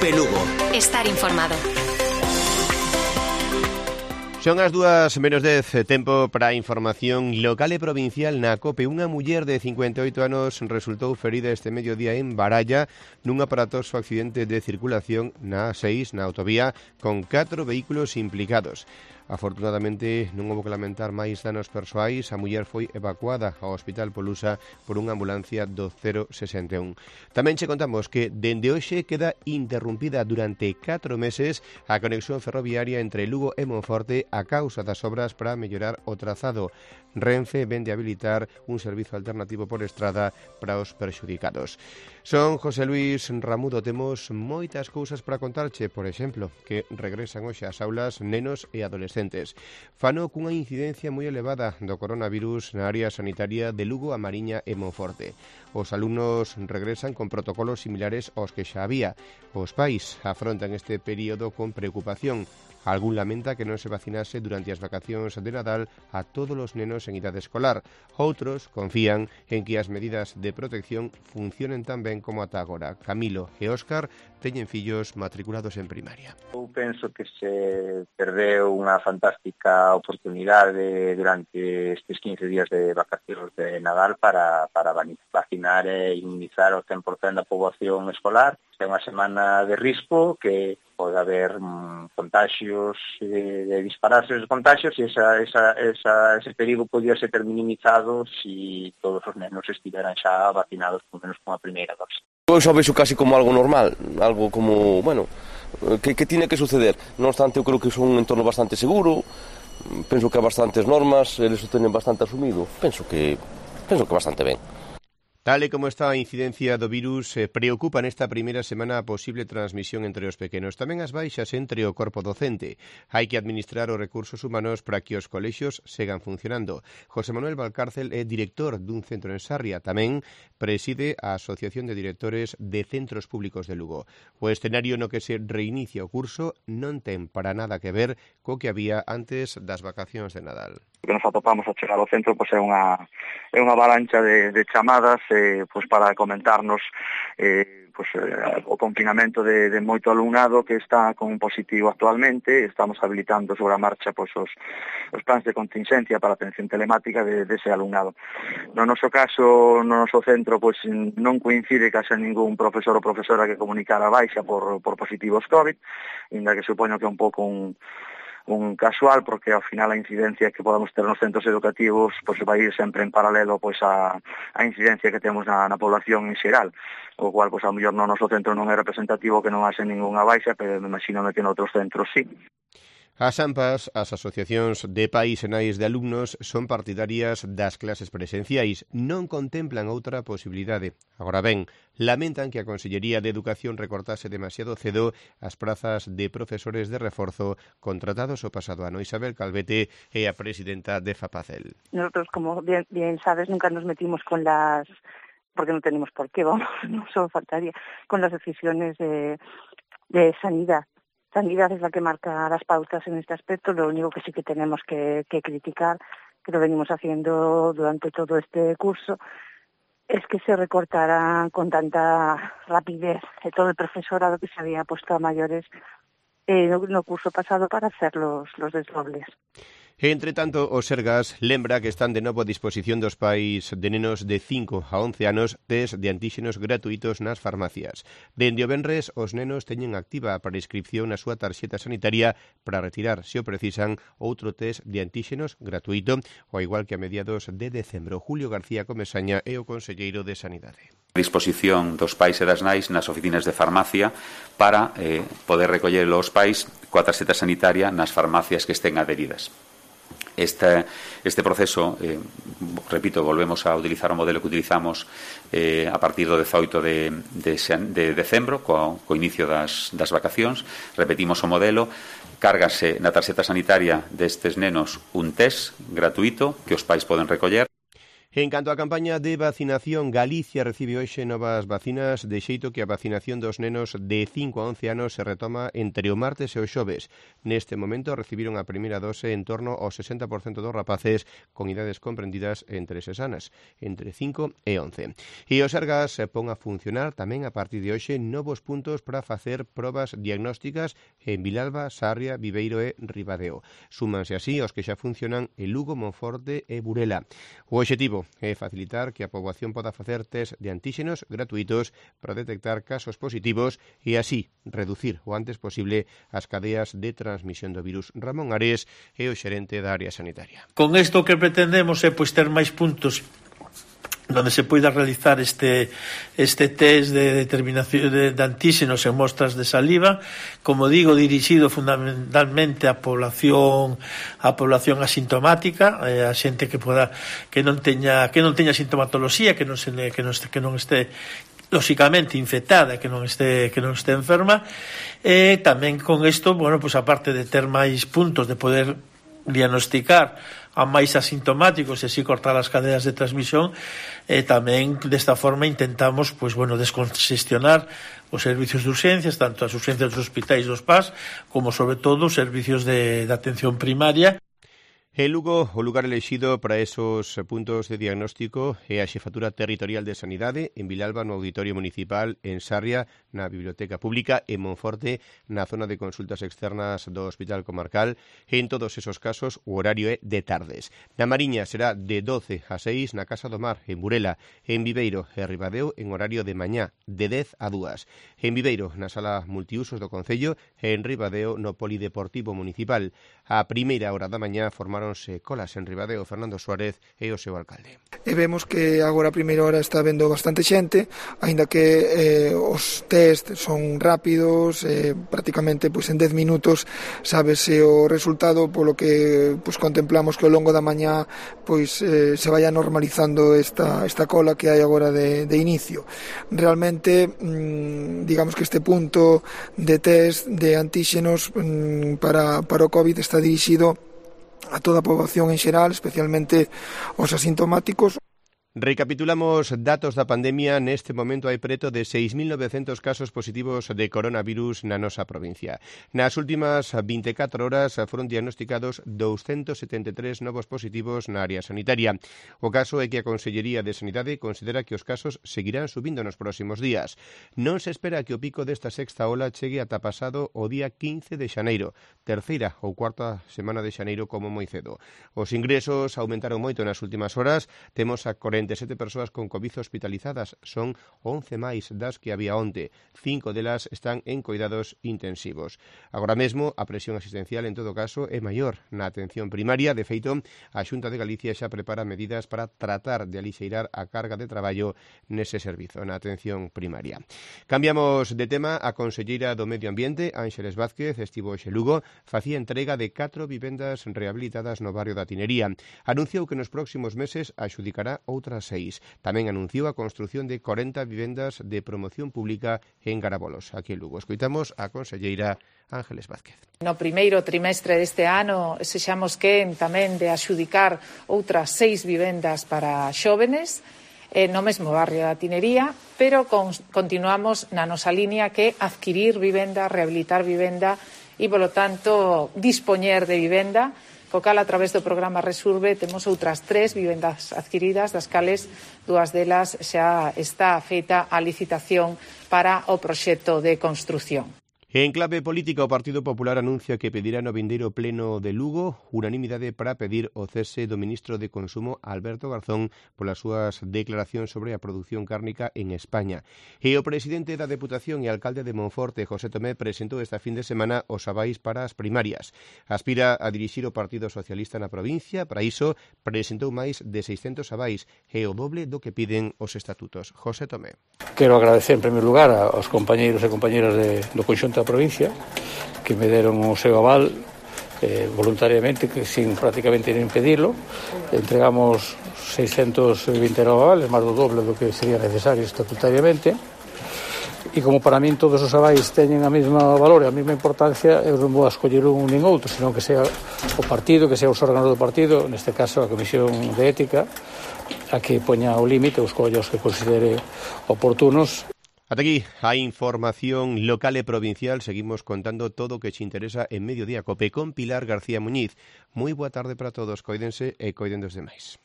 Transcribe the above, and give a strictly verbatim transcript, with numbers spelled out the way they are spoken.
COPE Lugo. Estar informado. Son as dúas menos dez, tempo para a información local e provincial na COPE. Unha muller de cincuenta e oito anos resultou ferida este mediodía en Baralla nun aparatoso accidente de circulación na A seis, na autovía, con catro vehículos implicados. Afortunadamente non houbo que lamentar máis danos persoais. A muller foi evacuada ao Hospital Polusa por unha ambulancia do cero sesenta e un. Tamén che contamos que dende hoxe queda interrumpida durante catro meses a conexión ferroviaria entre Lugo e Monforte a causa das obras para mellorar o trazado. Renfe vende a habilitar un servizo alternativo por estrada para os perxudicados. Son José Luis Ramudo. Temos moitas cousas para contarche, por exemplo, que regresan hoxe ás aulas nenos e adolescentes. Fano cunha incidencia moi elevada do coronavirus na área sanitaria de Lugo, A Mariña e Monforte. Os alumnos regresan con protocolos similares aos que xa había. Os pais afrontan este período con preocupación. Algún lamenta que non se vacinase durante as vacacións de Nadal a todos os nenos en idade escolar. Outros confían en que as medidas de protección funcionen tan ben como ata agora. Camilo e Óscar teñen fillos matriculados en primaria. Eu penso que se perdeu unha fantástica oportunidade durante estes quince días de vacacións de Nadal para, para vacinar e inmunizar o cen por cen da poboación escolar. É unha semana de risco que pode haber mm, contagios, de, de dispararse os contagios e esa, esa, esa, ese perigo podía ser minimizado se todos os nenos estiveran xa vacinados por menos con a primeira dose. Eu xa vexo casi como algo normal, algo como, bueno, que, que tiene que suceder. Non obstante, eu creo que é un entorno bastante seguro, penso que há bastantes normas, eles o teñen bastante asumido, penso que, penso que bastante ben. Tal e como está a incidencia do virus, eh, preocupa nesta primeira semana a posible transmisión entre os pequenos. Tamén as baixas entre o corpo docente. Hai que administrar os recursos humanos para que os colexios segan funcionando. José Manuel Valcárcel é director dun centro en Sarria. Tamén preside a Asociación de Directores de Centros Públicos de Lugo. O escenario no que se reinicia o curso non ten para nada que ver co que había antes das vacacións de Nadal. O que nos atopamos a chegar ao centro pois é unha é unha avalancha de, de chamadas eh, pois para comentarnos eh, pois, eh, o confinamento de, de moito alumnado que está con un positivo actualmente. Estamos habilitando sobre a marcha pois, os, os plans de contingencia para a atención telemática de, de ese alumnado. No noso caso, no noso centro pois non coincide que haxa ningún profesor ou profesora que comunicara baixa por, por positivos COVID, inda que supoño que é un pouco un un casual, porque ao final a incidencia que podamos ter nos centros educativos pois vai ir sempre en paralelo pois a, a incidencia que temos na, na población en xeral, o cual pois ao mellor no noso centro non é representativo que non haxe ningunha baixa, pero me imagino que en outros centros sí. As AMPAs, as asociacións de pais e nais de alumnos, son partidarias das clases presenciais. Non contemplan outra posibilidade. Agora ben, lamentan que a Consellería de Educación recortase demasiado cedo as prazas de profesores de reforzo contratados o pasado ano. Isabel Calvete é a presidenta de FAPACEL. Nosotros, como bien, bien sabes, nunca nos metimos con las... porque no tenemos por qué, vamos, no solo faltaría, con las decisiones de, de sanidad. Sanidad es la que marca las pautas en este aspecto. Lo único que sí que tenemos que, que criticar, que lo venimos haciendo durante todo este curso, es que se recortara con tanta rapidez todo el profesorado que se había puesto a mayores en el curso pasado para hacer los, los desdobles. Entre tanto, o Sergas lembra que están de novo a disposición dos pais de nenos de cinco a once anos test de antíxenos gratuitos nas farmacias. Dende o venres, os nenos teñen activa a prescripción na súa tarxeta sanitaria para retirar, se o precisan, outro test de antíxenos gratuito, ao igual que a mediados de decembro. Julio García Comesaña é o conselleiro de Sanidade. A disposición dos pais e das nais nas oficinas de farmacia para eh, poder recoller os pais coa tarxeta sanitaria nas farmacias que estén adheridas. Este, este proceso, eh, repito, volvemos a utilizar o modelo que utilizamos eh, a partir do dezoito de, de, de decembro, co, co inicio das, das vacacións. Repetimos o modelo, cárgase na tarxeta sanitaria destes nenos un test gratuito que os pais poden recoller. En canto á campaña de vacinación, Galicia recibe hoxe novas vacinas, de xeito que a vacinación dos nenos de cinco a once anos se retoma entre o martes e o xoves. Neste momento recibiron a primeira dose en torno ao sesenta por cento dos rapaces con idades comprendidas entre seis anos, entre cinco e once. E o Sergas pon a funcionar tamén a partir de hoxe novos puntos para facer probas diagnósticas en Vilalba, Sarria, Viveiro e Ribadeo. Súmanse así os que xa funcionan en Lugo, Monforte e Burela. O obxectivo é facilitar que a poboación poda facer test de antíxenos gratuitos para detectar casos positivos e así reducir o antes posible as cadeas de transmisión do virus. Ramón Ares é o xerente da área sanitaria. Con isto que pretendemos é pois ter máis puntos donde se poida realizar este este test de determinación de, de antíxenos en mostras de saliva, como digo, dirixido fundamentalmente á población á población asintomática, eh, a xente que poda que non teña que non teña sintomatoloxía, que non se que non este, que non este lóxicamente infectada, que non este que non este enferma, e eh, tamén con isto, bueno, pues aparte de ter máis puntos de poder diagnosticar a máis asintomáticos e así cortar as cadeas de transmisión, e tamén desta forma intentamos pois bueno descongestionar os servicios de urxencias, tanto as urxencias dos hospitais dos P A S como sobre todo os servicios de, de atención primaria. En Lugo, o lugar elexido para esos puntos de diagnóstico é a Xefatura Territorial de Sanidade, en Vilalba no Auditorio Municipal, en Sarria na Biblioteca Pública, en Monforte na zona de consultas externas do Hospital Comarcal. En todos esos casos o horario é de tardes. Na Mariña será de doce a seis na Casa do Mar, en Burela, en Viveiro e Ribadeo en horario de mañá, de dez a dúas. En Viveiro, na Sala Multiusos do Concello, e en Ribadeo no Polideportivo Municipal. A primeira hora da mañá formaron colas en Ribadeo Fernando Suárez e o seu alcalde. E vemos que agora a primeira hora está vendo bastante xente, aínda que eh, os test son rápidos, eh, prácticamente pois, en dez minutos sábese o resultado, polo que pois, contemplamos que ao longo da mañá pois, eh, se vaya normalizando esta, esta cola que hai agora de, de inicio. Realmente, mmm, digamos que este punto de test de antíxenos mmm, para, para o COVID está dirixido a toda a poboación en xeral, especialmente os asintomáticos. Recapitulamos datos da pandemia. Neste momento hai preto de seis mil novecentos casos positivos de coronavirus na nosa provincia. Nas últimas vinte e catro horas foron diagnosticados doscientos setenta e tres novos positivos na área sanitaria. O caso é que a Consellería de Sanidade considera que os casos seguirán subindo nos próximos días. Non se espera que o pico desta sexta ola chegue ata pasado o día quince de xaneiro, terceira ou cuarta semana de xaneiro como moi cedo. Os ingresos aumentaron moito nas últimas horas. Temos a corenta e sete persoas con COVID hospitalizadas, son once máis das que había onte. Cinco delas están en cuidados intensivos. Agora mesmo, a presión asistencial en todo caso é maior na atención primaria. De feito, a Xunta de Galicia xa prepara medidas para tratar de alixeirar a carga de traballo nese servizo, na atención primaria. Cambiamos de tema. A conselleira do Medio Ambiente, Ángeles Vázquez, estivo hoxe en Lugo, facía entrega de catro vivendas rehabilitadas no barrio da Tinería. Anunciou que nos próximos meses adxudicará outras seis. Tamén anunciou a construción de corenta vivendas de promoción pública en Garabolos. Aquí en Lugo escoitamos a conselleira Ángeles Vázquez. No primeiro trimestre deste ano sexamos quen tamén de adxudicar outras seis vivendas para xóvenes eh, no mesmo barrio da Tinería, pero con, continuamos na nosa línea que adquirir vivenda, rehabilitar vivenda e, polo tanto, dispoñer de vivenda, co cal, a través do programa Resurbe, temos outras tres vivendas adquiridas, das cales dúas delas xa está feita a licitación para o proxecto de construción. En clave política, o Partido Popular anuncia que pedirá no vindeiro pleno de Lugo unanimidade para pedir o cese do ministro de Consumo, Alberto Garzón, polas súas declaracións sobre a produción cárnica en España. E o presidente da Deputación e alcalde de Monforte, José Tomé, presentou esta fin de semana os avais para as primarias. Aspira a dirixir o Partido Socialista na provincia. Para iso, presentou máis de seiscentos avais, e o doble do que piden os estatutos. José Tomé. Quero agradecer, en primer lugar, aos compañeiros e compañeras de, do conxunto da provincia que me deron o seu aval eh, voluntariamente, que sin prácticamente nin pedirlo. Entregamos seiscentos vinte avales, máis do doble do que sería necesario estatutariamente, e como para min todos os avais teñen a mesma valor e a mesma importancia, eu non vou a escoller un nin outro, senón que sea o partido, que sea os órganos do partido, neste caso a Comisión de Ética, a que poña o límite os collos que considere oportunos. Ata aquí a información local e provincial. Seguimos contando todo o que te interesa en Mediodía Cope con Pilar García Muñiz. Moi boa tarde para todos, coídense e coiden dos demais.